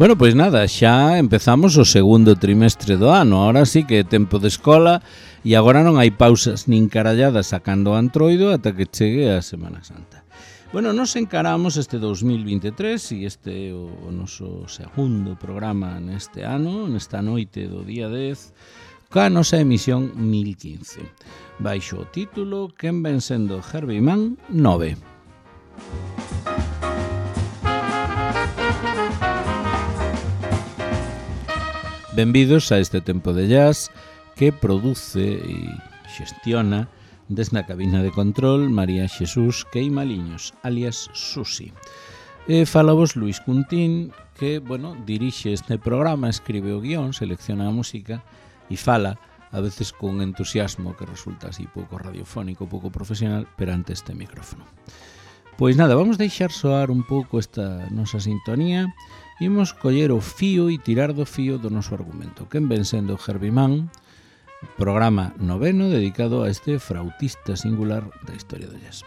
Bueno, pois nada, xa empezamos o segundo trimestre do ano. Ahora sí que é tempo de escola e agora non hai pausas nin caralladas sacando o antroido ata que chegue a Semana Santa. Bueno, nos encaramos este 2023 e este é o noso segundo programa neste ano, nesta noite do día 10, ca nosa emisión 1015. Baixo o título Quen ven sendo Herbie Mann 9. Benvidos a este tempo de jazz que produce e xestiona desde a cabina de control María Xesús Queimaliños, alias Susi. Fala vos Luis Cuntín, que, bueno, dirixe este programa, escribe o guión, selecciona a música e fala, a veces con entusiasmo que resulta así pouco radiofónico, pouco profesional, perante este micrófono. Pois nada, vamos deixar soar un pouco esta nosa sintonía. Imos coller o fío e tirar do fío do noso argumento. Quen ven sendo Herbie Mann, programa noveno dedicado a este frautista singular da historia do jazz.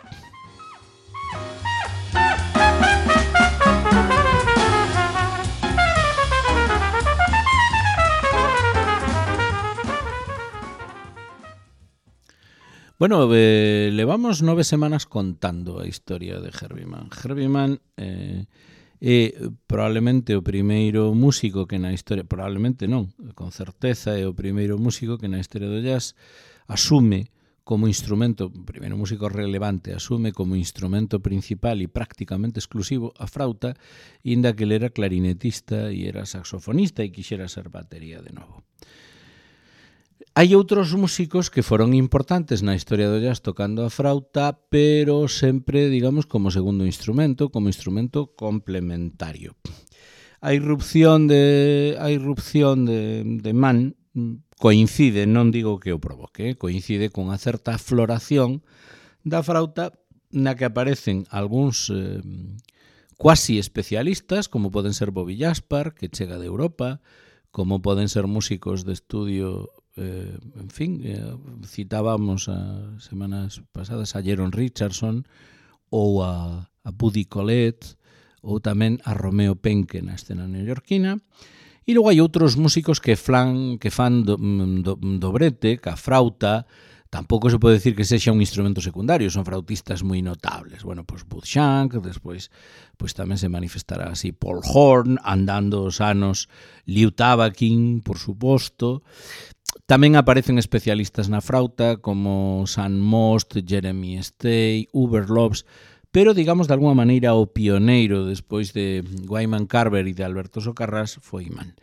Bueno, levamos 9 semanas contando a historia de Herbie Mann. Herbie Mann é probablemente o primeiro músico que na historia, probablemente non, con certeza é o primeiro músico que na historia do jazz asume como instrumento, o primeiro músico relevante, asume como instrumento principal e prácticamente exclusivo a frauta, inda que ele era clarinetista e era saxofonista e quixera ser batería de novo. Hai outros músicos que foron importantes na historia do jazz tocando a frauta, pero sempre, digamos, como segundo instrumento, como instrumento complementario. A irrupción de Mann coincide, non digo que o provoque, coincide con a certa floración da frauta na que aparecen algúns cuasi especialistas, como poden ser Bobby Jaspar, que chega de Europa, como poden ser músicos de estudio. Citábamos as semanas pasadas a Jeron Richardson ou a Buddy Collette ou tamén a Romeo Penke na escena neoyorquina, e logo hai outros músicos que fan do brete, que a frauta tampouco se pode decir que sexa un instrumento secundario, son frautistas moi notables. Bueno, pois Bud Shank, despois pois tamén se manifestará así Paul Horn, andando os anos, Liu Tabakin, por suposto. Tamén aparecen especialistas na frauta como Sam Most, Jeremy Stay, Hubert Lopes, pero, digamos, de alguma maneira o pioneiro despois de Wyman Carver e de Alberto Socarrás foi Mann.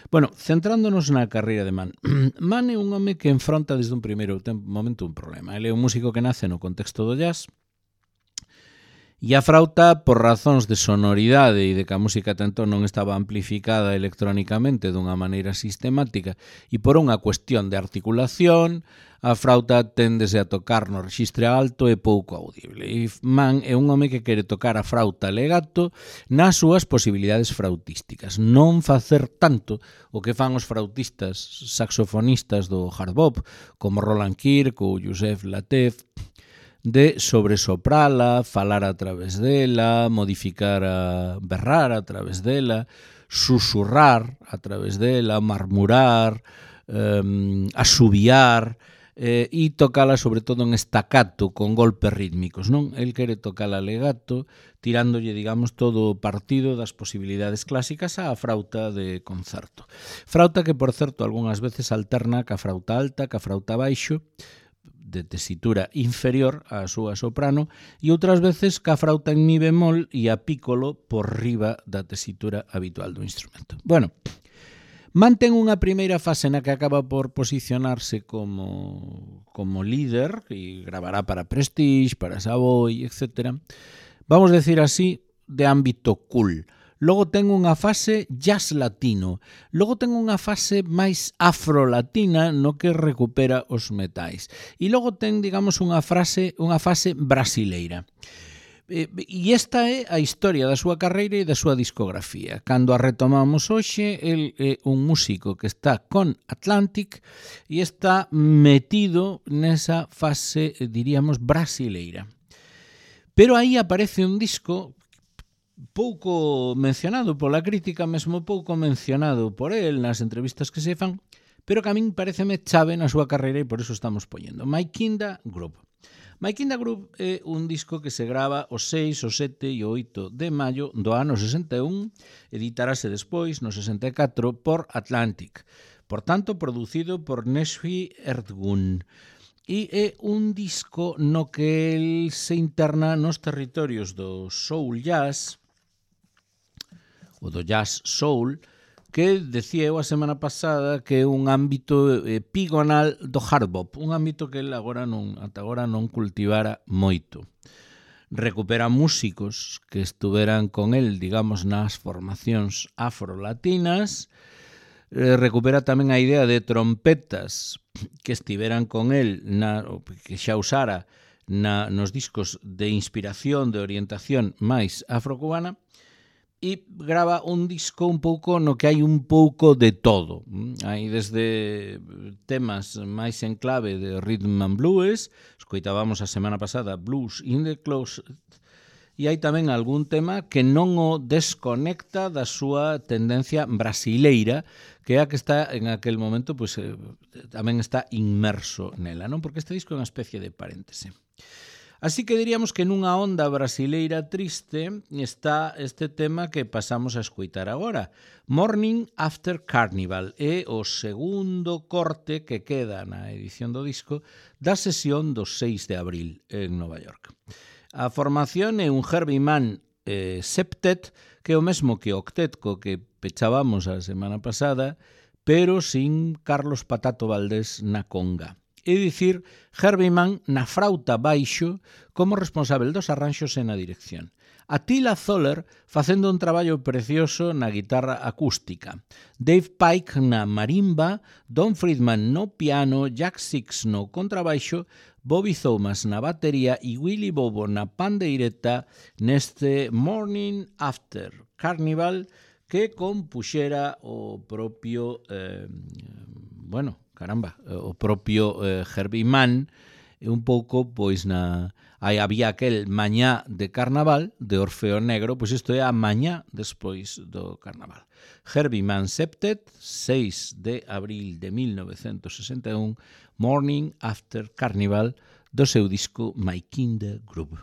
Bueno, centrándonos na carreira de Mann. Mann é un home que enfronta desde un primeiro momento un problema. Ele é un músico que nace no contexto do jazz e a frauta, por razóns de sonoridade e de que a música tanto non estaba amplificada electrónicamente dunha maneira sistemática e por unha cuestión de articulación, a frauta téndese a tocar no rexistre alto e pouco audible. E Mann é un home que quere tocar a frauta legato nas súas posibilidades frautísticas. Non facer tanto o que fan os frautistas saxofonistas do hard bop, como Roland Kirk ou Yusef Lateef, de sobresoprala, falar a través dela, modificar, berrar a través dela, susurrar a través dela, marmurar, asubiar, e tocala sobre todo en staccato, con golpes rítmicos, non? El quere tocala legato, tirándolle, digamos, todo o partido das posibilidades clásicas á frauta de concerto. Frauta que, por certo, algunhas veces alterna ca frauta alta, ca frauta baixo, de tesitura inferior á súa soprano, e outras veces ca frauta en mi bemol e a piccolo por riba da tesitura habitual do instrumento. Bueno, mantén unha primeira fase na que acaba por posicionarse como líder e gravará para Prestige, para Savoy, etc. Vamos decir así, de ámbito cool. Logo ten unha fase jazz latino, logo ten unha fase máis afrolatina no que recupera os metais. E logo ten, digamos, unha fase brasileira. E esta é a historia da súa carreira e da súa discografía. Cando a retomamos hoxe, el é un músico que está con Atlantic e está metido nesa fase, diríamos, brasileira. Pero aí aparece un disco pouco mencionado pola crítica, mesmo pouco mencionado por el nas entrevistas que se fan, pero que a min pareceme chave na súa carreira e por eso estamos poñendo. My Kinda Group. My Kinda Group é un disco que se grava o 6, o 7 e o 8 de maio do ano 61, editarase despois, no 64, por Atlantic. Por tanto, producido por Nesfi Ertgun. E é un disco no que el se interna nos territorios do soul jazz, o do jazz soul, que decía eu a semana pasada que é un ámbito epigonal do hard bop, un ámbito que ele ata agora non cultivara moito. Recupera músicos que estuveran con el, digamos, nas formacións afrolatinas, recupera tamén a idea de trompetas que estiveran con el, que xa usara nos discos de inspiración, de orientación máis afrocubana, e grava un disco un pouco no que hai un pouco de todo. Hai desde temas máis en clave de rhythm and blues, escoitábamos a semana pasada Blues in the Closet, e hai tamén algún tema que non o desconecta da súa tendencia brasileira, que é a que está en aquel momento, pues, tamén está inmerso nela, non? Porque este disco é unha especie de paréntese. Así que diríamos que nunha onda brasileira triste está este tema que pasamos a escoitar agora. Morning After Carnival é o segundo corte que queda na edición do disco da sesión do 6 de abril en Nova York. A formación é un Herbie Mann septet, que é o mesmo que o octet co que pechábamos a semana pasada, pero sin Carlos Patato Valdés na conga. É dicir, Herbie Mann na frauta baixo como responsável dos arranxos e na dirección. Attila Zoller facendo un traballo precioso na guitarra acústica. Dave Pike na marimba, Don Friedman no piano, Jack Six no contrabaixo, Bobby Thomas na batería e Willy Bobo na pandeireta neste Morning After Carnival que compuxera o propio o propio Herbie Mann, un pouco, pois, había aquel mañá de carnaval, de Orfeo Negro, pois isto é a mañá despois do carnaval. Herbie Mann septet, 6 de abril de 1961, Morning After Carnival, do seu disco My Kinda Group.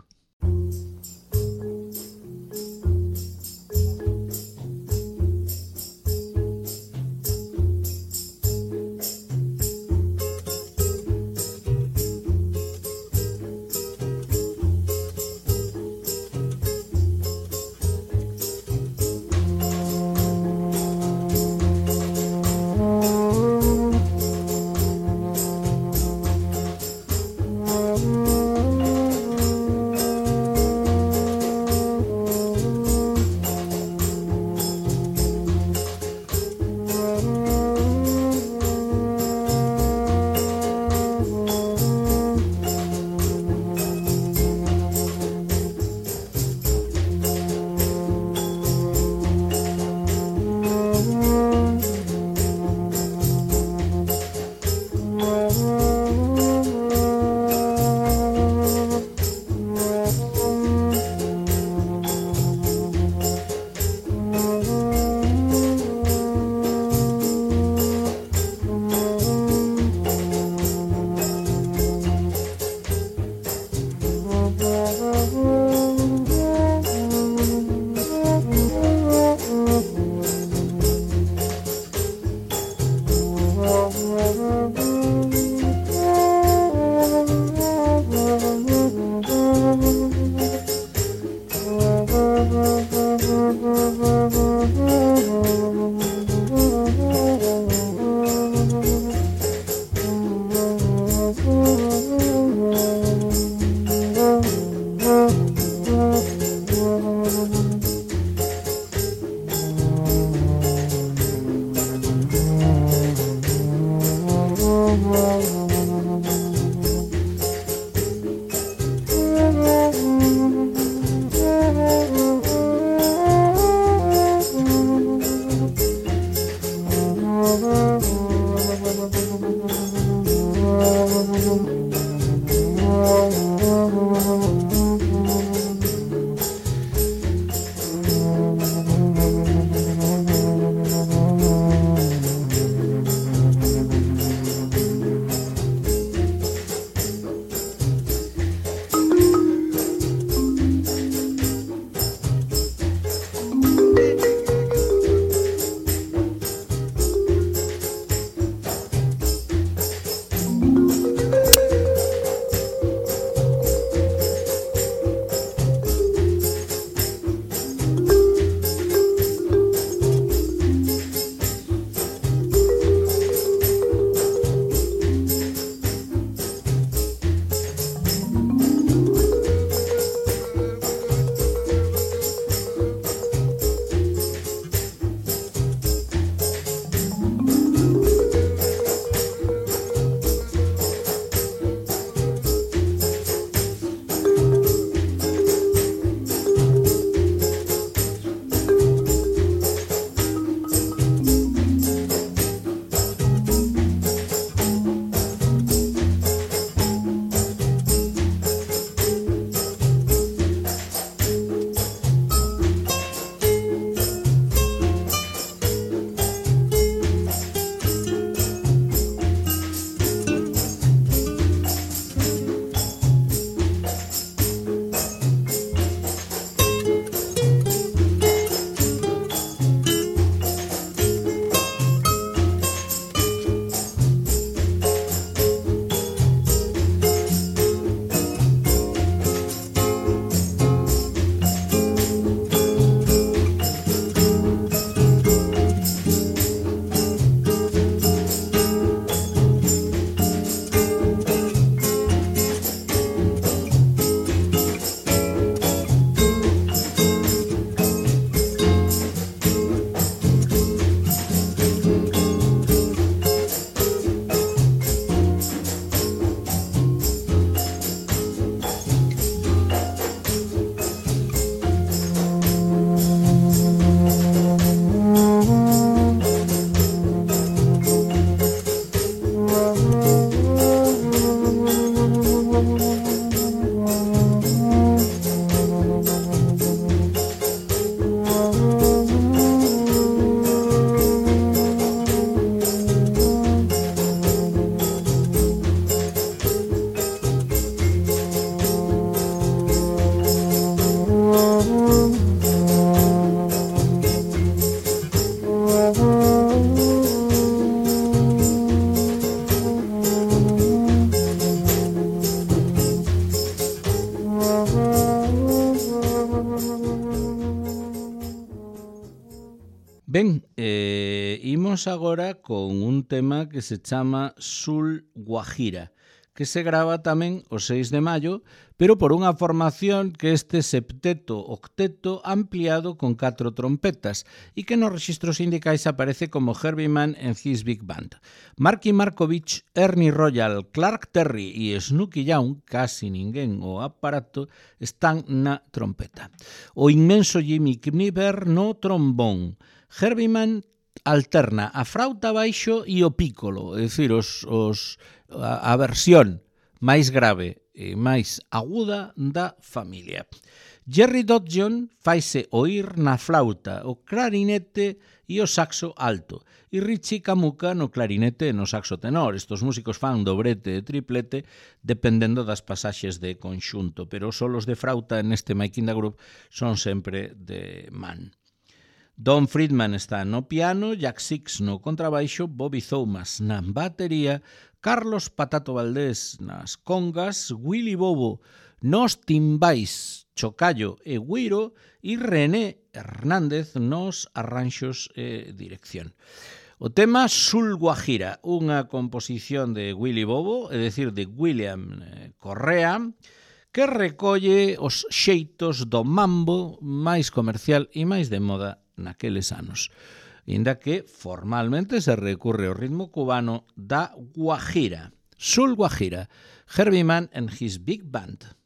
imos agora con un tema que se chama Sul Guajira, que se grava tamén o 6 de maio, pero por unha formación que este septeto octeto ampliado con 4 trompetas e que nos registros sindicais aparece como Herbie Mann and His Big Band. Marky Markovich, Ernie Royal, Clark Terry e Snooky Young, casi ninguén o aparato, están na trompeta. O inmenso Jimmy Kniever no trombón. Herbie Mann alterna a frauta baixo e o pícolo, é dicir, a versión máis grave e máis aguda da familia. Jerry Dodson faise oír na flauta, o clarinete e o saxo alto, e Richie Camuca no clarinete e no saxo tenor. Estos músicos fan dobrete e triplete dependendo das pasaxes de conxunto, pero os solos de frauta neste Making the Groove son sempre de Mann. Don Friedman está no piano, Jack Six no contrabaixo, Bobby Thomas na batería, Carlos Patato Valdés nas congas, Willy Bobo nos timbais, chocallo e güiro e René Hernández nos arranxos e dirección. O tema Sul Guajira, unha composición de Willy Bobo, é dicir, de William Correa, que recolle os xeitos do mambo máis comercial e máis de moda naqueles anos, inda que formalmente se recurre ao ritmo cubano da Guajira. Sul Guajira, Herbie Mann and His Big Band.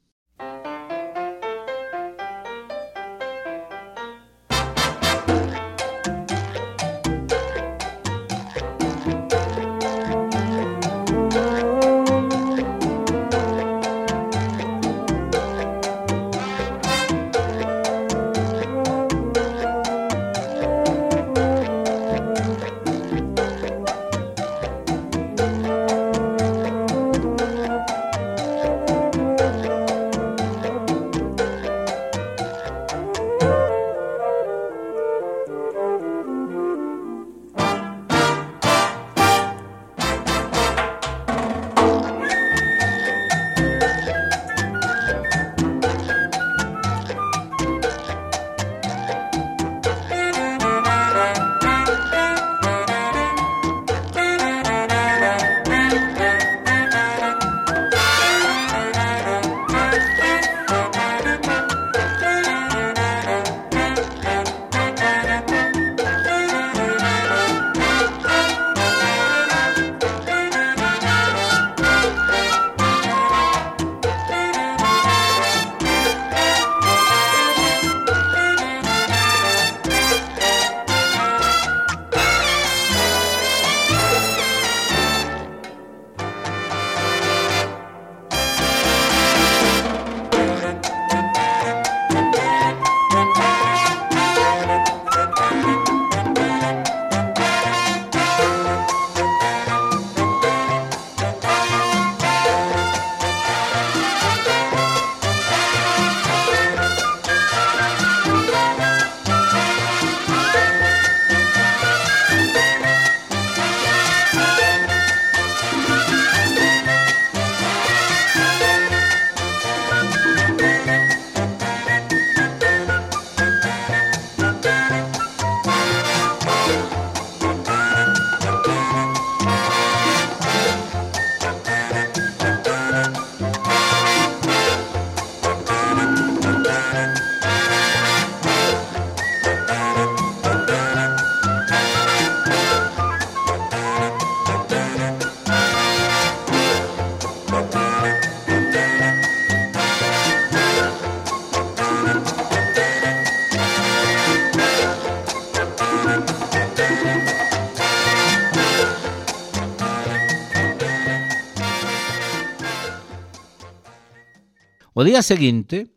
O día seguinte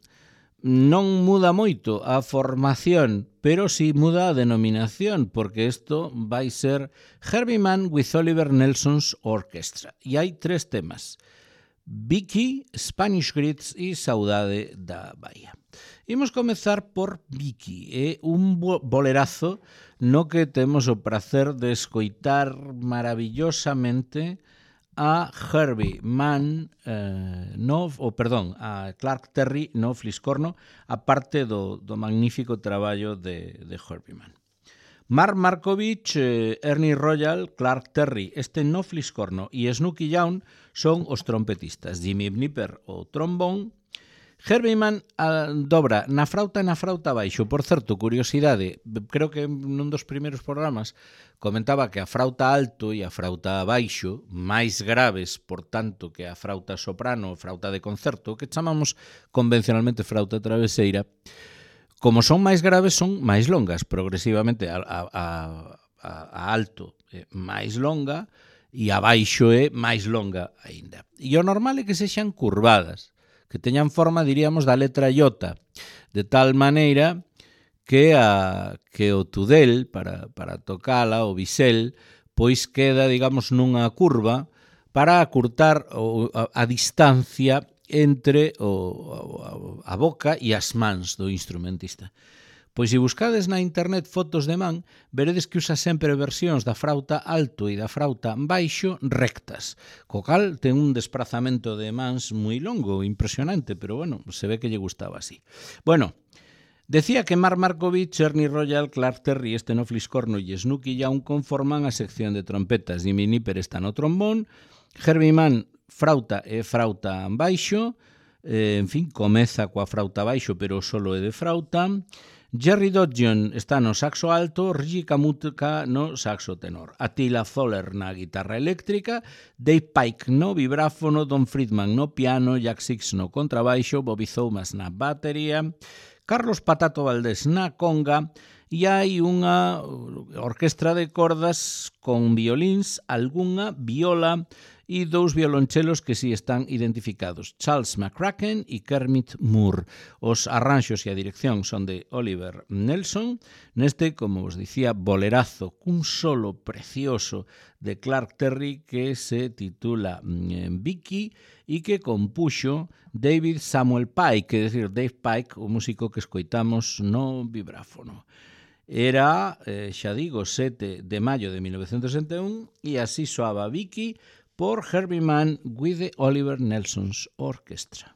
non muda moito a formación, pero si muda a denominación, porque isto vai ser Herbie Mann with Oliver Nelson's Orchestra. E hai 3 temas: Vicky, Spanish Grits e Saudade da Bahía. Imos comezar por Vicky, é un bolerazo no que temos o prazer de escoitar maravillosamente a Herbie Mann, a Clark Terry no fliscorno, a parte do magnífico traballo de Herbie Mann. Mark Markovich, Ernie Royal, Clark Terry, no fliscorno e Snooky Young son os trompetistas. Jimmy Knipper, o trombón. Herbie Mann dobra na frauta baixo. Por certo, curiosidade, creo que nun dos primeiros programas comentaba que a frauta alto e a frauta baixo, máis graves, por tanto, que a frauta soprano, frauta de concerto, que chamamos convencionalmente frauta traveseira, como son máis graves, son máis longas, progresivamente a alto é máis longa e a baixo é máis longa aínda. E o normal é que sexan curvadas, que teñan forma, diríamos, da letra iota, de tal maneira que o tudel, para tocala, o bisel, pois queda, digamos, nunha curva para acurtar a distancia entre a boca e as mans do instrumentista. Pois se buscades na internet fotos de man, veredes que usa sempre versións da frauta alto e da frauta baixo rectas, co cal ten un desprazamento de mans moi longo, impresionante, pero bueno, se ve que lle gustaba así. Bueno, decía que Mark Markovich, Ernie Royal, Clark Terry, no fliscorno e Snooky Young conforman a sección de trompetas. Jimmy Knipper está no trombón, Herbie Mann frauta e frauta baixo, en fin, comeza coa frauta baixo, pero solo é de frauta. Jerry Dodgion está no saxo alto, Reggie Kamutka no saxo tenor, Attila Zoller na guitarra eléctrica, Dave Pike no vibráfono, Don Friedman no piano, Jack Six no contrabaixo, Bobby Thomas na batería, Carlos Patato Valdés na conga, e hai unha orquestra de cordas con violíns, algunha viola e dous violonchelos que si están identificados, Charles McCracken e Kermit Moore. Os arranxos e a dirección son de Oliver Nelson, neste, como vos dicía, bolerazo cun solo precioso de Clark Terry que se titula Vicky e que compuxo David Samuel Pike, que decir, Dave Pike, o músico que escoitamos no vibráfono. Era, xa digo, 7 de maio de 1961 e así soaba Vicky por Herbie Mann with the Oliver Nelson's Orchestra.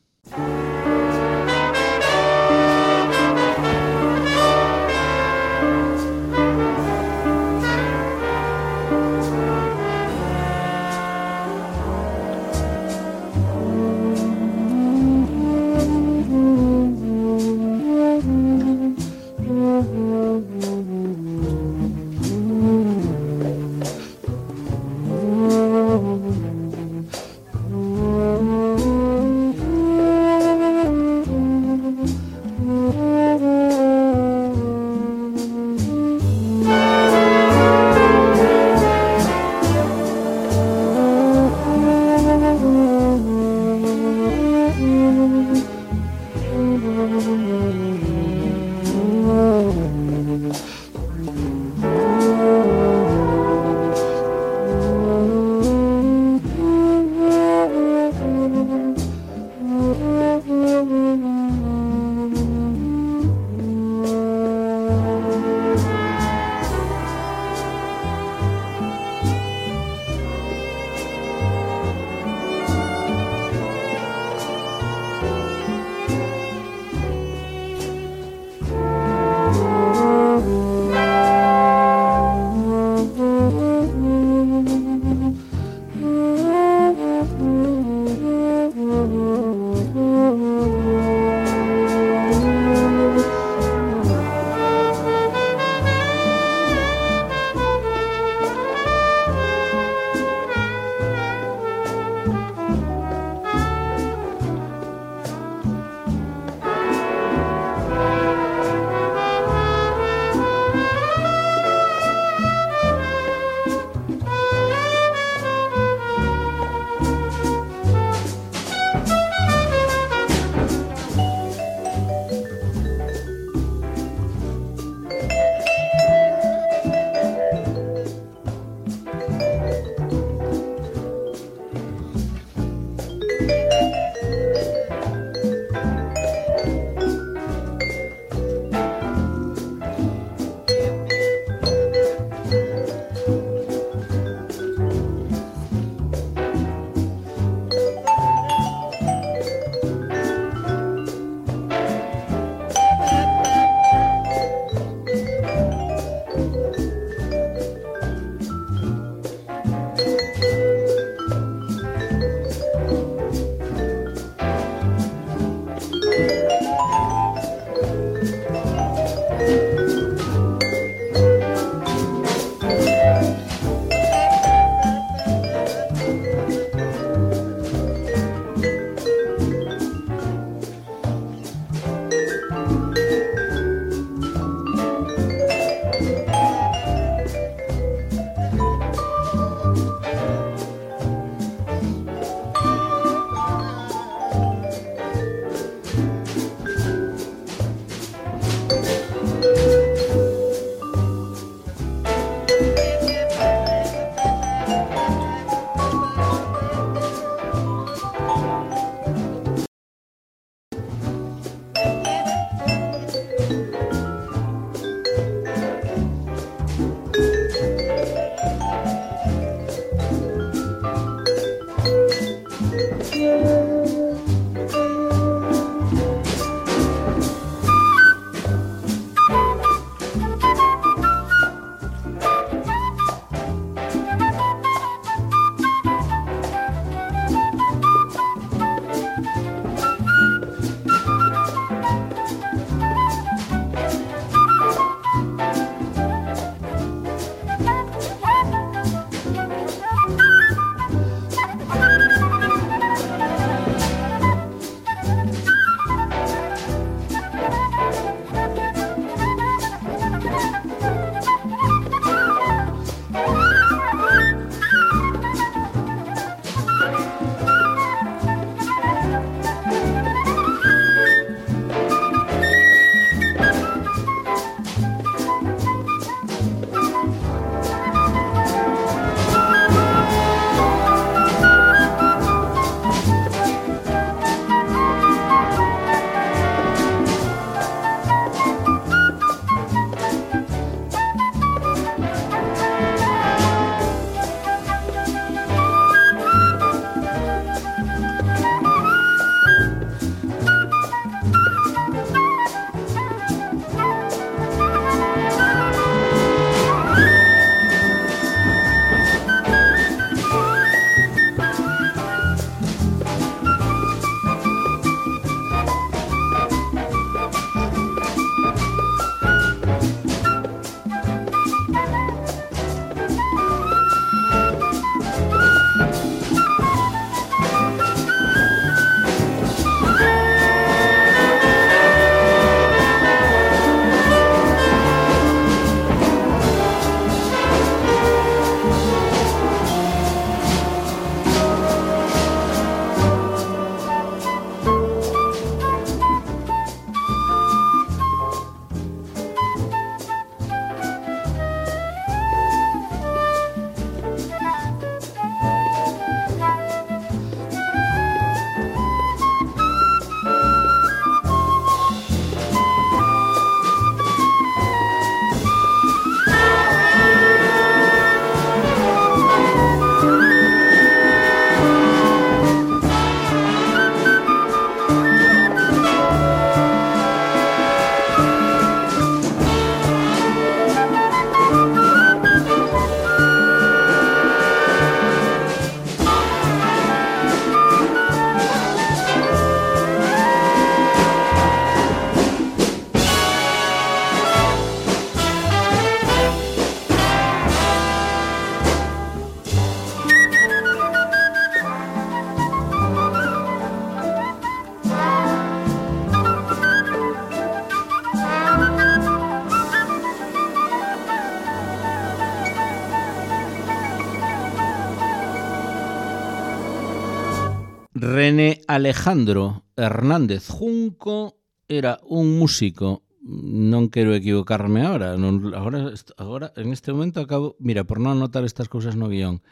René Alejandro Hernández Junco era un músico, non quero equivocarme agora, en este momento acabo, mira, por non anotar estas cousas no guión.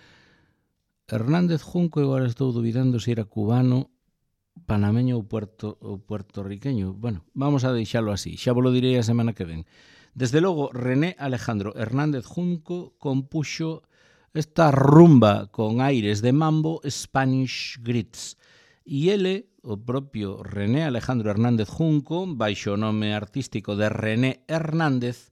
Hernández Junco, agora estou dubidando se era cubano, panameño ou puertorriqueño. Bueno, vamos a deixalo así, xa vos lo direi a semana que ven. Desde logo, René Alejandro Hernández Junco compuxo esta rumba con aires de mambo, Spanish Grits. E ele, o propio René Alejandro Hernández Junco, baixo o nome artístico de René Hernández,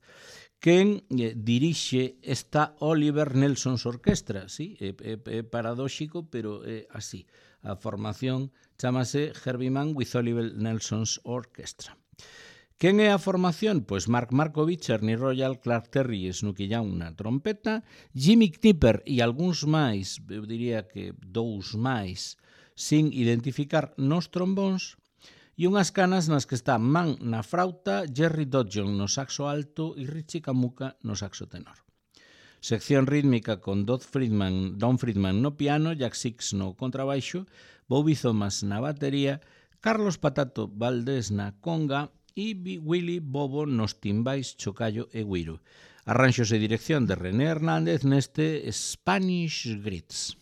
quen dirixe esta Oliver Nelson's Orquestra. Sí, é paradóxico, pero é así. A formación chamase Herbie Mann with Oliver Nelson's Orchestra. Quen é a formación? Pois Mark Markovich, Ernie Royal, Clark Terry e Snooky Young na trompeta, Jimmy Knipper e algúns máis, eu diría que 2 máis, sin identificar nos trombóns, e unhas canas nas que está Mann na frauta, Jerry Dodgeon no saxo alto e Richie Camuca no saxo tenor. Sección rítmica con Don Friedman no piano, Jack Six no contrabaixo, Bobby Thomas na batería, Carlos Patato Valdés na conga e Willy Bobo nos timbais, chocallo e guiro. Arranxos e dirección de René Hernández neste Spanish Grits.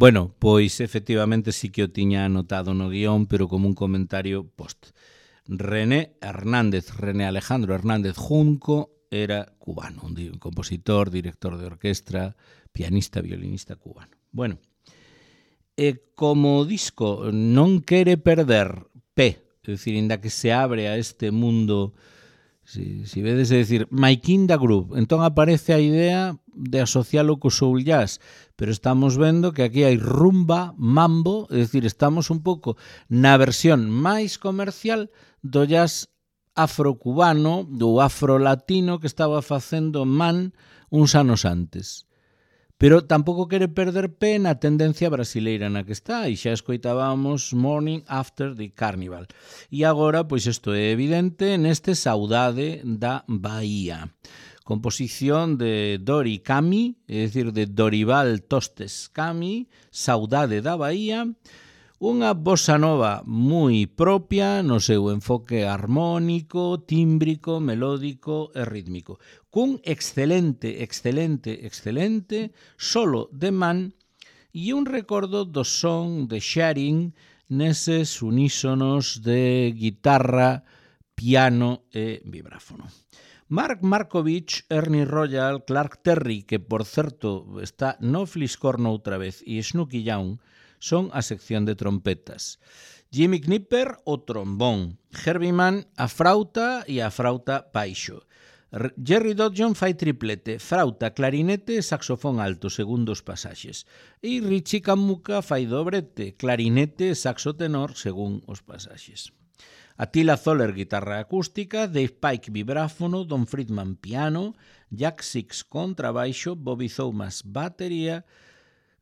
Bueno, pois efectivamente sí que o tiña anotado no guión, pero como un comentario post. René Alejandro Hernández Junco era cubano, un compositor, director de orquestra, pianista, violinista cubano. Bueno, como o disco non quere perder pé, é dicir, inda que se abre a este mundo, si vedes, é dicir, My Kinda Groove, entón aparece a idea de asocialo co soul jazz, pero estamos vendo que aquí hai rumba, mambo, é dicir, estamos un pouco na versión máis comercial do jazz afrocubano, do afrolatino que estaba facendo Mann uns anos antes. Pero tampouco quere perder pé na tendencia brasileira na que está, e xa escoitábamos Morning After the Carnival. E agora, pois isto é evidente neste Saudade da Bahía. Composición de Dori Cami, é dicir, de Dorival Tostes Cami, Saudade da Bahía, Unha bossa nova moi propia no seu enfoque armónico, tímbrico, melódico e rítmico, cun excelente solo de man e un recordo do son de Sharing neses unísonos de guitarra, piano e vibráfono. Mark Markovich, Ernie Royal, Clark Terry, que por certo está no Fliscorno outra vez, e Snooky Young, son a sección de trompetas. Jimmy Knipper, o trombón. Herbie Mann, a frauta e a frauta baixo. Jerry Dodson fai triplete, frauta, clarinete e saxofón alto, segundo os pasaxes. E Richie Camuca fai dobrete, clarinete e saxo tenor, según os pasaxes. Attila Zoller, guitarra acústica, Dave Pike, vibráfono, Don Friedman, piano, Jack Six, contrabaixo, Bobby Thomas, batería,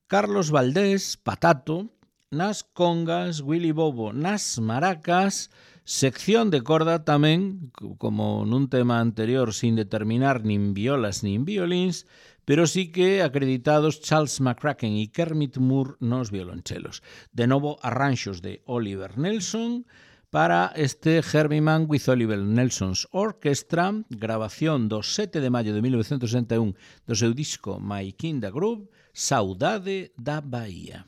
Carlos Valdés, patato, nas congas, Willy Bobo nas maracas, sección de corda tamén, como nun tema anterior, sin determinar nin violas nin violíns, pero sí que acreditados Charles McCracken e Kermit Moore nos violonchelos. De novo, arranxos de Oliver Nelson para este Herbie Mann with Oliver Nelson's Orchestra, grabación do 7 de maio de 1961 do seu disco My Kinda Groove, Saudade da Bahía.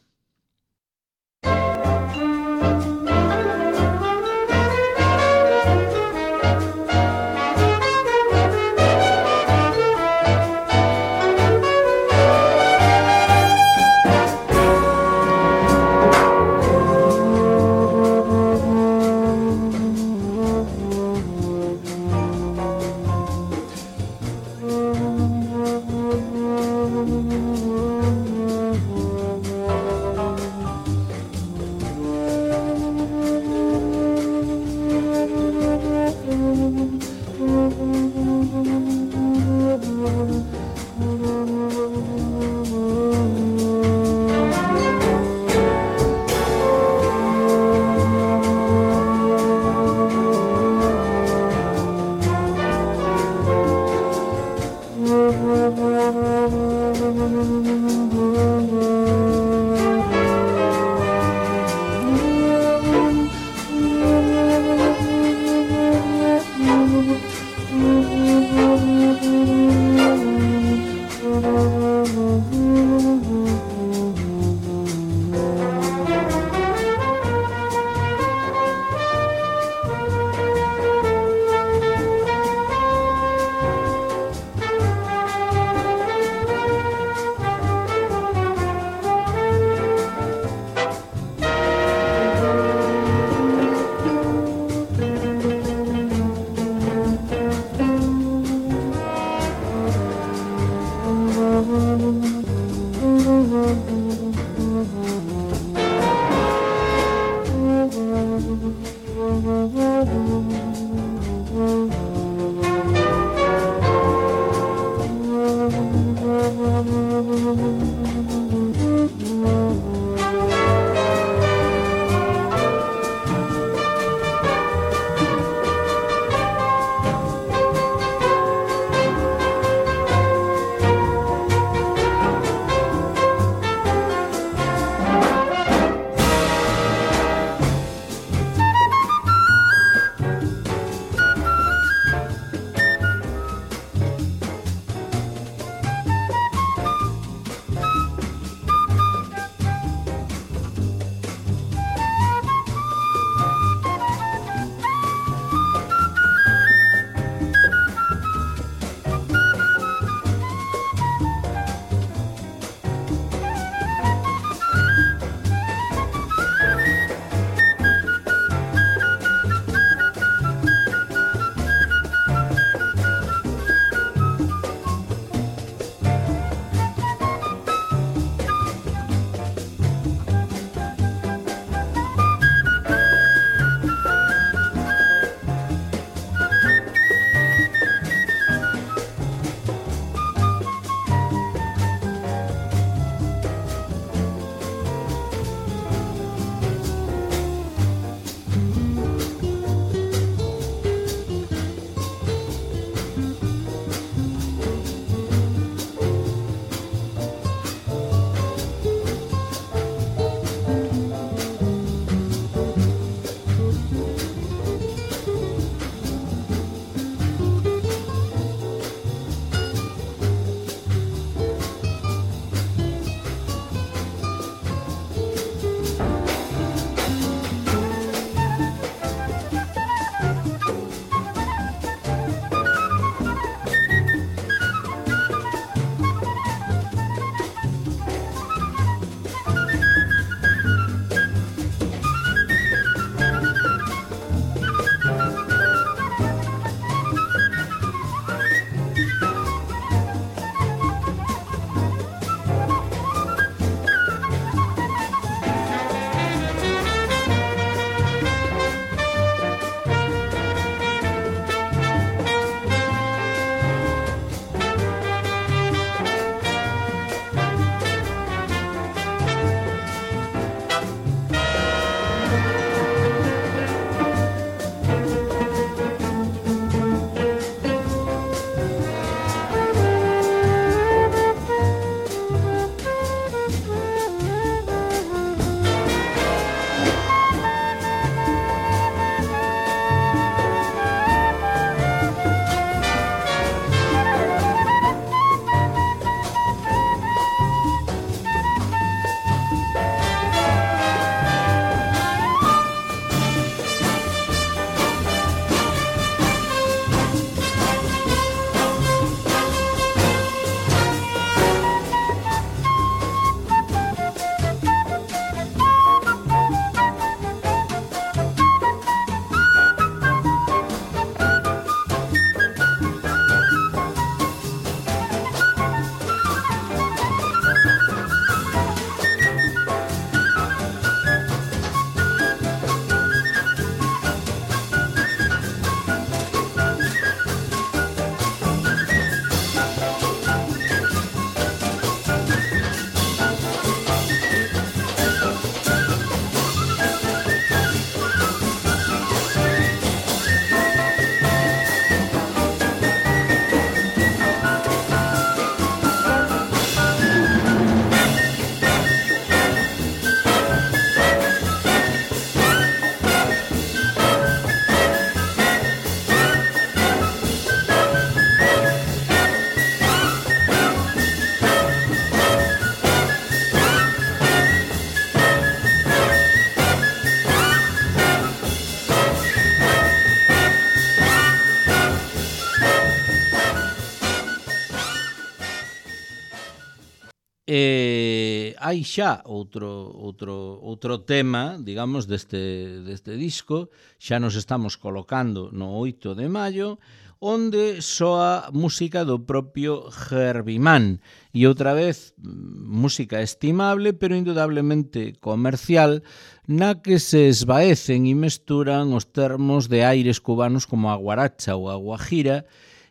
hai xa outro tema, digamos, deste disco, xa nos estamos colocando no 8 de maio, onde soa música do propio Herbie Mann. E outra vez, música estimable, pero indudablemente comercial, na que se esvaecen e mesturan os termos de aires cubanos como a guaracha ou a guajira,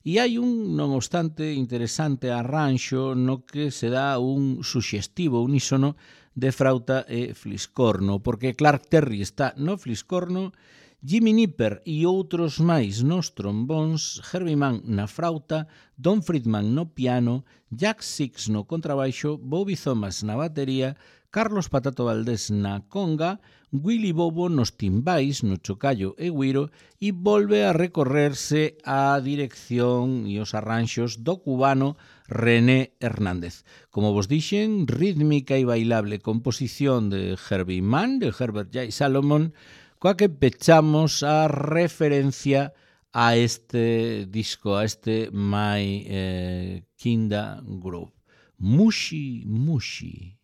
e hai un, non obstante, interesante arranxo no que se dá un suxestivo unísono de frauta e fliscorno, porque Clark Terry está no fliscorno, Jimmy Nipper e outros máis nos trombóns, Herbie Mann na frauta, Don Friedman no piano, Jack Six no contrabaixo, Bobby Thomas na batería, Carlos Patato Valdés na conga, Willy Bobo nos timbais, no chocallo e güiro, e volve a recorrerse a dirección e os arranxos do cubano René Hernández. Como vos dixen, rítmica e bailable composición de Herbie Mann, de Herbert J. Salomon, coa que pechamos a referencia a este disco, a este My Kinda Groove. Mushi Mushi.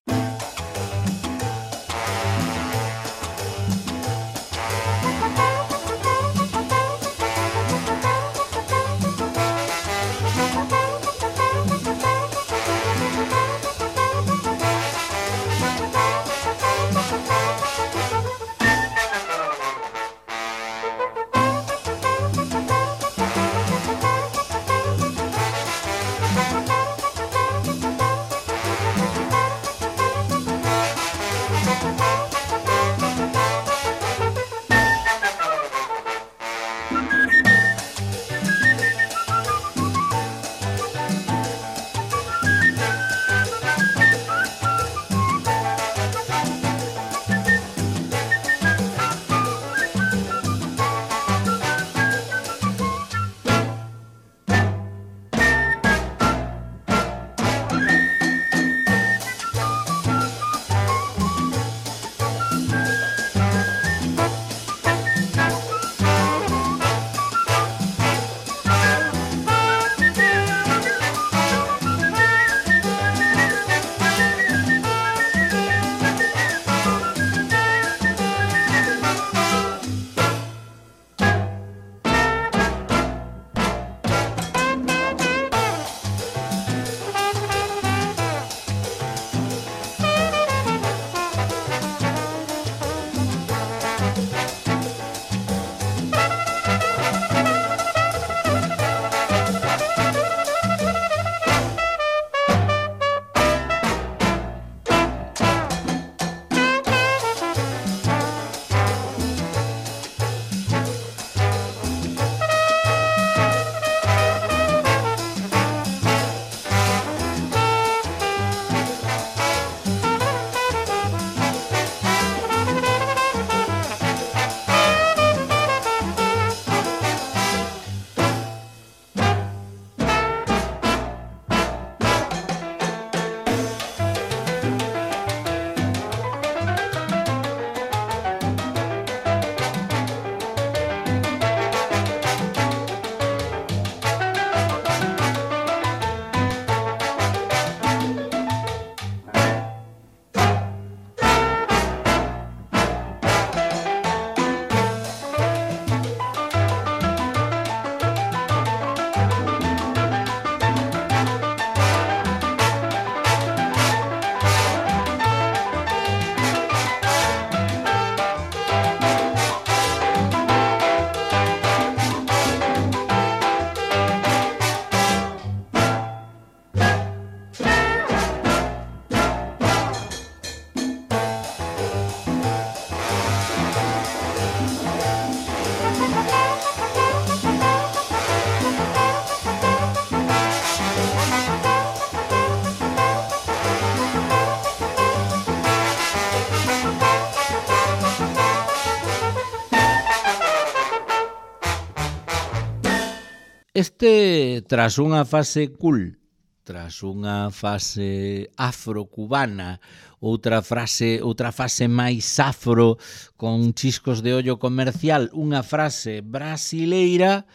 Tras unha fase cool, tras unha fase afrocubana, outra fase máis afro con chiscos de ollo comercial, unha frase brasileira,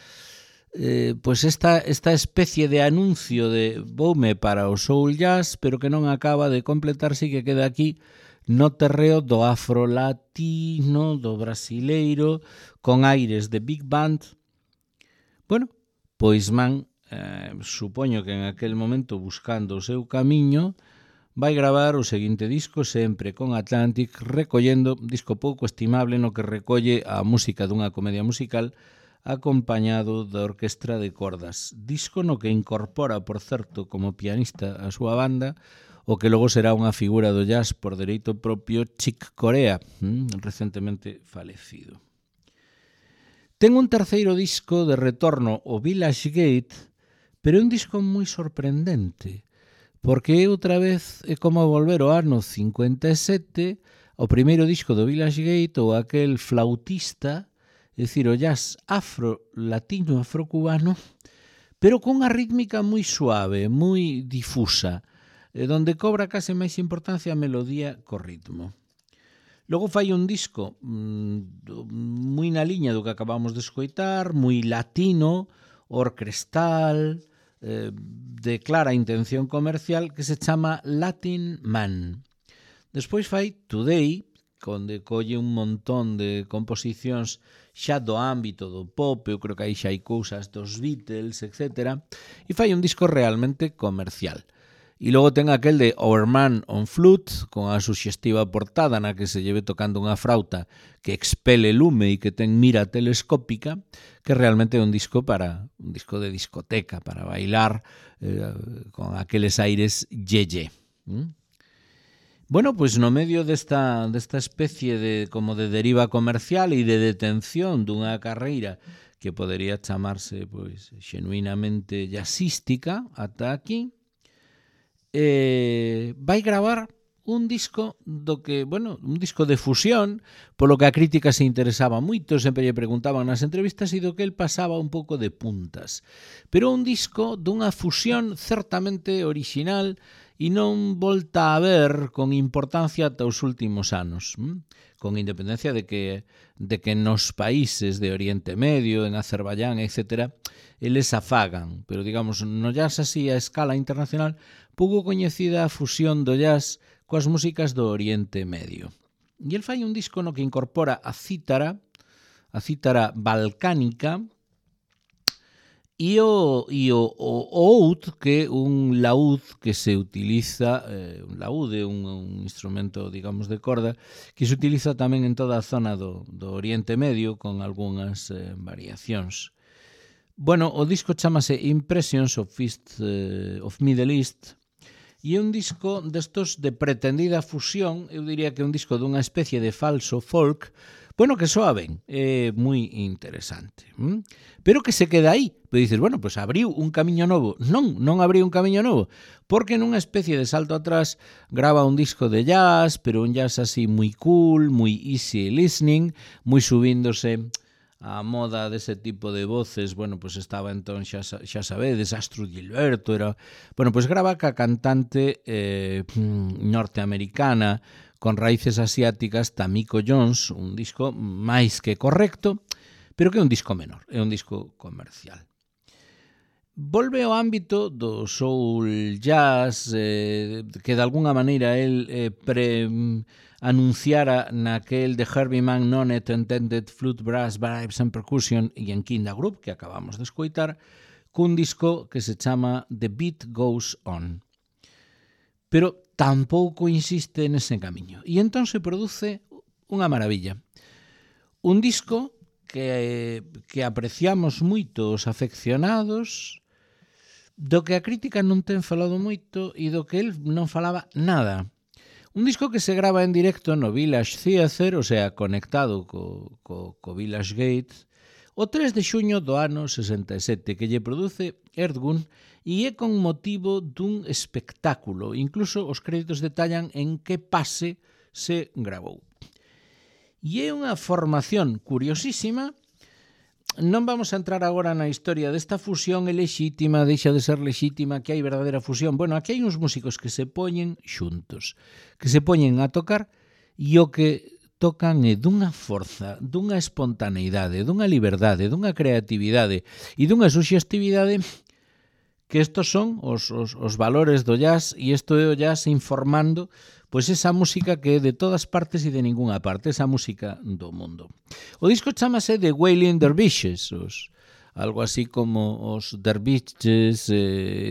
pois esta especie de anuncio de voume para o soul jazz, pero que non acaba de completarse e que queda aquí no terreo do afrolatino, do brasileiro, con aires de big band. Bueno, pois supoño que en aquel momento, buscando o seu camiño, vai gravar o seguinte disco sempre con Atlantic, recollendo un disco pouco estimable no que recolle a música dunha comedia musical acompañado da orquestra de cordas. Disco no que incorpora, por certo, como pianista a súa banda, o que logo será unha figura do jazz por dereito propio, Chick Corea, recentemente falecido. Ten un terceiro disco de retorno, o Village Gate, pero é un disco moi sorprendente, porque outra vez é como volver ao ano 57, o primeiro disco do Village Gate, ou aquel flautista, é dicir, o jazz afro-latino, afro-cubano, pero con unha rítmica moi suave, moi difusa, donde cobra case máis importancia a melodía co ritmo. Logo fai un disco moi na liña do que acabamos de escoitar, moi latino, orquestal, de clara intención comercial, que se chama Latin Man. Despois fai Today, onde colle un montón de composicións xa do ámbito do pop, eu creo que aí xa hai cousas dos Beatles, etc. E fai un disco realmente comercial. E logo ten aquel de Our Man on Flute, con a suxestiva portada na que se lleve tocando unha frauta que expele lume e que ten mira telescópica, que realmente é un disco de discoteca, para bailar con aqueles aires ye-ye. Bueno, pois no medio desta especie de como de deriva comercial e de detención dunha carreira que podería chamarse pois xenuinamente jazzística ata aquí, vai gravar un disco do que, bueno, un disco de fusión, polo que a crítica se interesaba moito, sempre lle preguntaban nas entrevistas e do que el pasaba un pouco de puntas. Pero un disco dunha fusión certamente orixinal e non volta a ver con importancia ata os últimos anos, con independencia de que nos países de Oriente Medio, en Azerbaiyán, etc., eles afagan, pero digamos, no jazz así a escala internacional, pouco coñecida a fusión do jazz coas músicas do Oriente Medio. E el fai un disco no que incorpora a cítara balcánica, e o oud, que é un laúd que se utiliza, un laúd é un instrumento, digamos, de corda, que se utiliza tamén en toda a zona do Oriente Medio, con algunhas variacións. Bueno, o disco chamase Impressions of Middle East, e é un disco destos de pretendida fusión, eu diría que é un disco dunha especie de falso folk, bueno, que soa ben, é moi interesante. Pero que se queda aí. Pero dices, bueno, pues abriu un camiño novo. Non abriu un camiño novo, porque nunha especie de salto atrás grava un disco de jazz, pero un jazz así moi cool, moi easy listening, moi subíndose a moda dese tipo de voces. Bueno, pues estaba entón, xa sabedes, Astrud Gilberto, era... Bueno, pues grava ca cantante norteamericana con raíces asiáticas, Tamiko Jones, un disco máis que correcto, pero que é un disco menor, é un disco comercial. Volve ao ámbito do soul jazz, que de alguna maneira el anunciara naquel de Herbie Mann Non-Intended Flute, Brass, Vibes and Percussion e en Kinda Group, que acabamos de escoitar, cun disco que se chama The Beat Goes On. Pero tampouco insiste nese camiño. E entón se produce unha maravilla. Un disco que apreciamos moito os afeccionados, do que a crítica non ten falado moito e do que el non falaba nada. Un disco que se grava en directo no Village Theatre, o sea, conectado co Village Gate, o 3 de xuño do ano 67, que lle produce Erdgun, e é con motivo dun espectáculo. Incluso os créditos detallan en que pase se gravou. E é unha formación curiosísima. Non vamos a entrar agora na historia desta fusión, é lexítima, deixa de ser lexítima, que hai verdadeira fusión. Bueno, aquí hai uns músicos que se poñen xuntos, que se poñen a tocar, e o que tocan é dunha forza, dunha espontaneidade, dunha liberdade, dunha creatividade e dunha suxestividade que estos son os valores do jazz, e isto é o jazz informando pois esa música que é de todas partes e de ninguna parte, esa música do mundo. O disco chamase The Wailing Dervishes, algo así como os derviches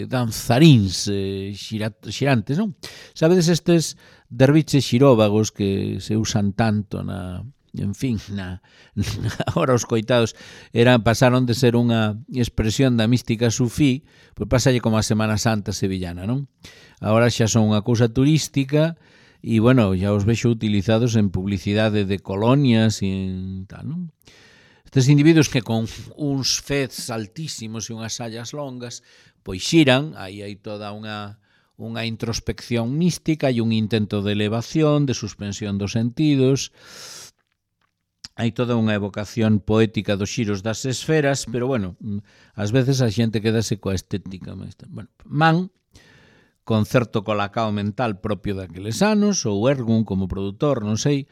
danzaríns xirantes, non? Sabedes estes derviches xiróvagos que se usan tanto ahora os coitados pasaron de ser unha expresión da mística sufí, pois pasalle como a Semana Santa sevillana, non? Agora xa son unha cousa turística e, bueno, ya os vexo utilizados en publicidade de colonias e en tal, non? Estes individuos que con uns fez altísimos e unhas sallas longas, pois xiran, aí hai toda unha introspección mística e un intento de elevación, de suspensión dos sentidos, hai toda unha evocación poética dos xiros das esferas, pero, bueno, ás veces a xente quedase coa estética. Bueno, Man, con certo colacao mental propio daqueles anos, ou Ergun como produtor, non sei,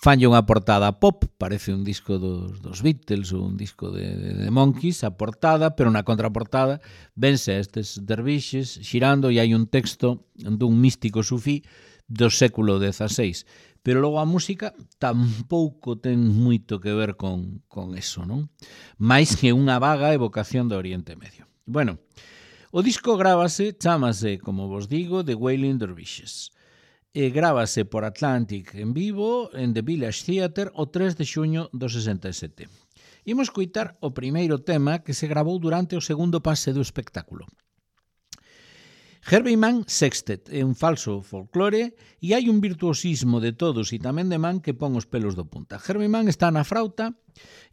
fanlle unha portada pop, parece un disco dos Beatles ou un disco de Monkeys, a portada, pero na contraportada vense a estes dervixes xirando e hai un texto dun místico sufí do século XVI. Pero logo a música tampouco ten moito que ver con eso, non? Mais que unha vaga evocación do Oriente Medio. Bueno, o disco chamase, como vos digo, The Wailing Dervishes. E grábase por Atlantic en vivo en The Village Theatre o 3 de xuño do 67. Imos coitar o primeiro tema que se gravou durante o segundo pase do espectáculo. Herbie Mann Sextet é un falso folclore e hai un virtuosismo de todos e tamén de Mann que pon os pelos do punta. Herbie Mann está na frauta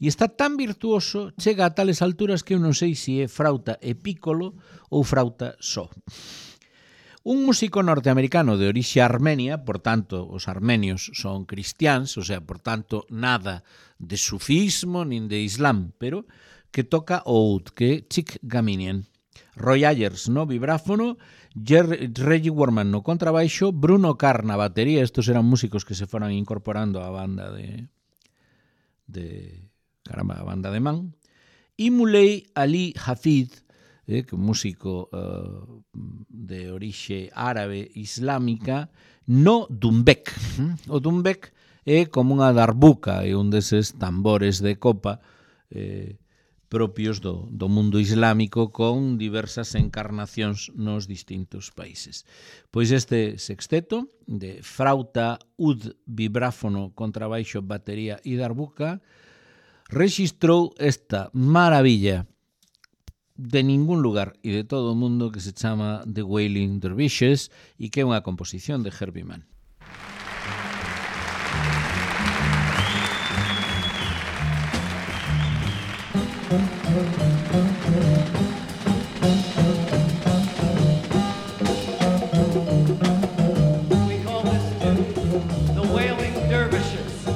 e está tan virtuoso, chega a tales alturas que eu non sei se é frauta e piccolo ou frauta só. Un músico norteamericano de orixe armenia, por tanto, os armenios son cristiáns, o sea, por tanto, nada de sufismo nin de islam, pero que toca o oud, que é Chick Gaminian. Roy Ayers no vibráfono, Reggie Worman no contrabaixo, Bruno Carr na batería, estos eran músicos que se foran incorporando á banda a banda de Man, e Muley Ali Hafid, que é un músico de orixe árabe islámica, no dumbek. O dumbek é como unha darbuca, é un deses tambores de copa propios do mundo islámico con diversas encarnacións nos distintos países. Pois este sexteto de frauta, ud, vibráfono, contrabaixo, batería e darbuca rexistrou esta maravilla de ningún lugar e de todo o mundo que se chama The Wailing Dervishes e que é unha composición de Herbie Mann. We call this The Wailing Dervishes.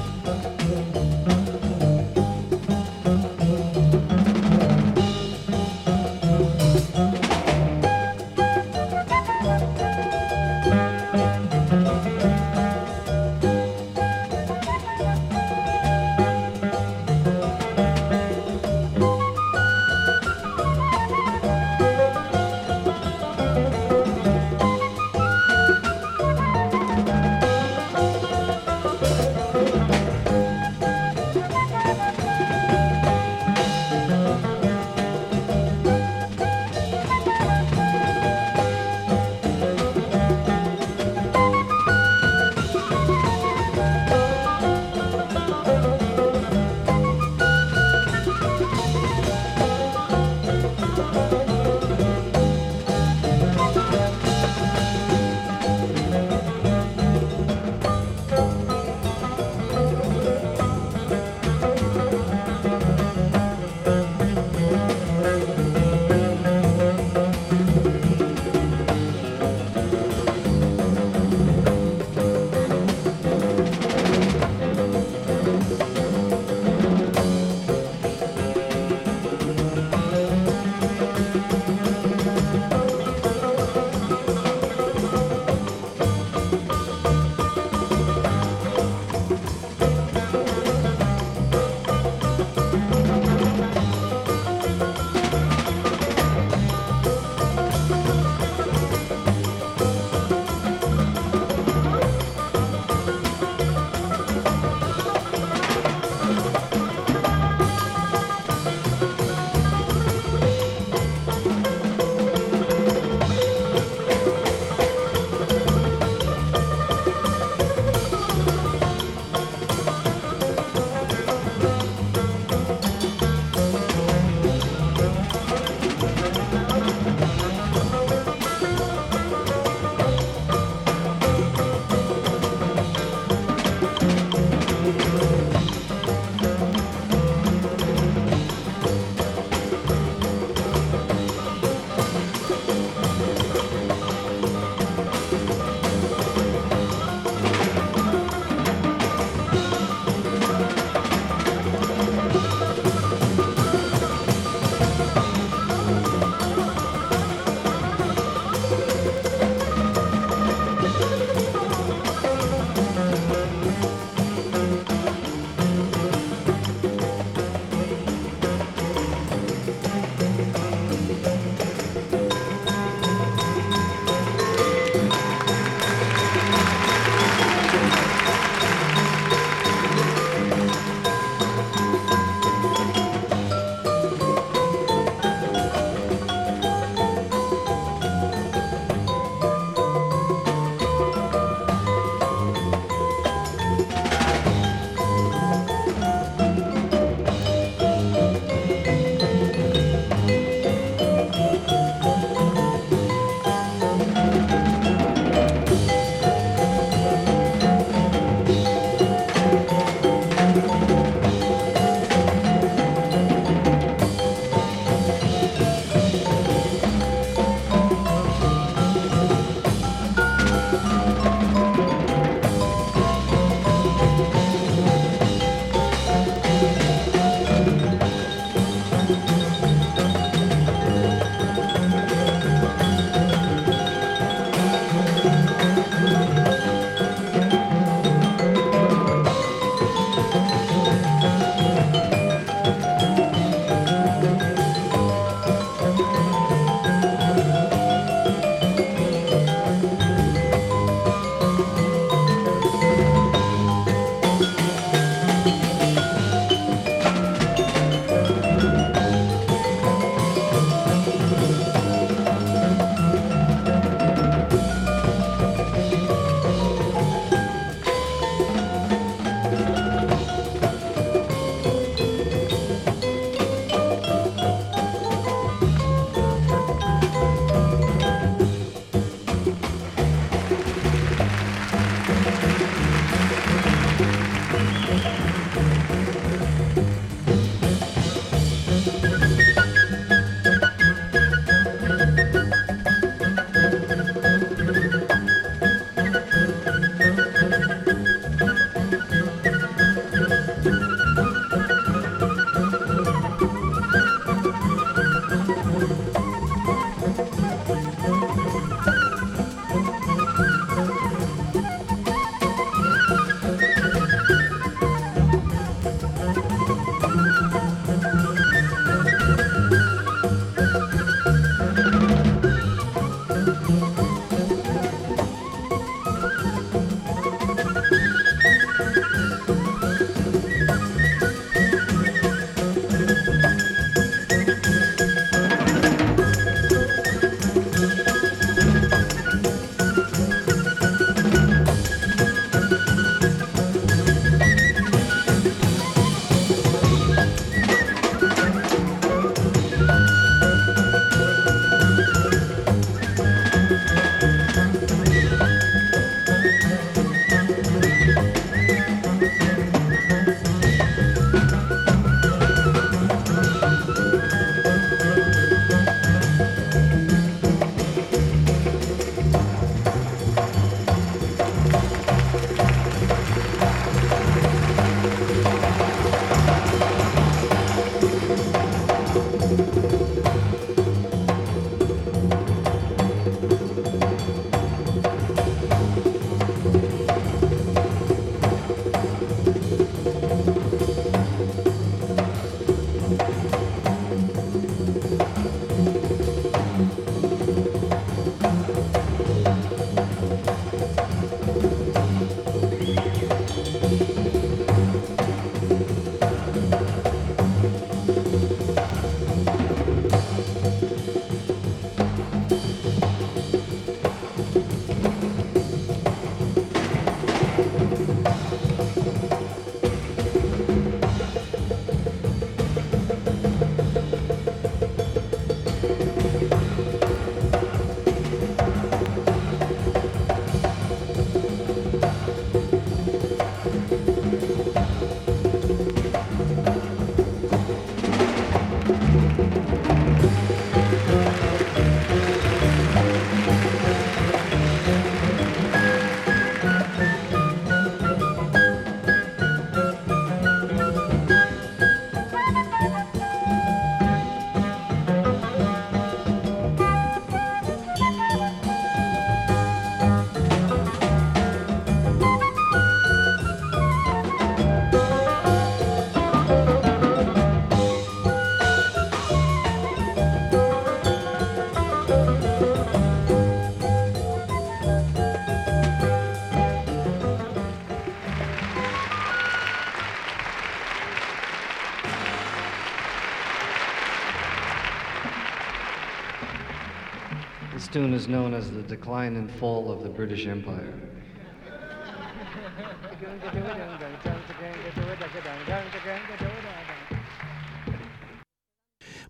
tune is known as The Decline and Fall of the British Empire.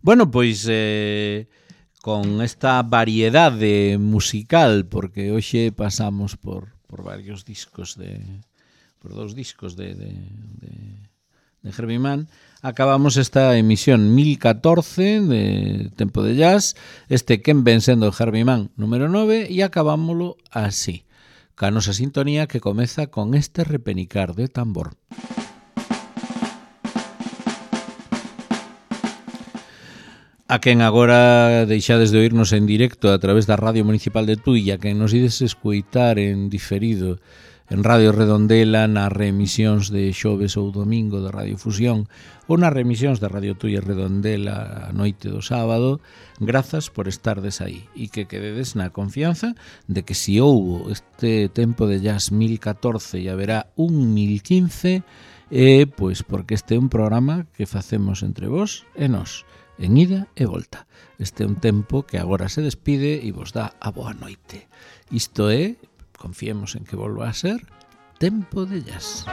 Bueno, pois con esta variedade musical, porque hoxe pasamos por varios discos por dos discos de Herbie Mann, acabamos esta emisión 1014 de Tempo de Jazz, este Quen ven sendo Herbie Mann número 9, e acabámoslo así, ca nosa sintonía que comeza con este repenicar de tambor. A quen agora deixades de oírnos en directo a través da Radio Municipal de Tui, a quen nos ides escoitar en diferido en Radio Redondela, nas reemisións de xoves ou domingo de Radio Fusión ou nas reemisións de Radio Tui e Redondela a noite do sábado, grazas por estardes aí e que quededes na confianza de que si houbo este Tempo de Jazz 1014 e haberá un 1015, pois porque este é un programa que facemos entre vos e nós, en ida e volta. Este é un tempo que agora se despide e vos dá a boa noite. Isto é, confiemos en que volva a ser, Tempo de Jazz.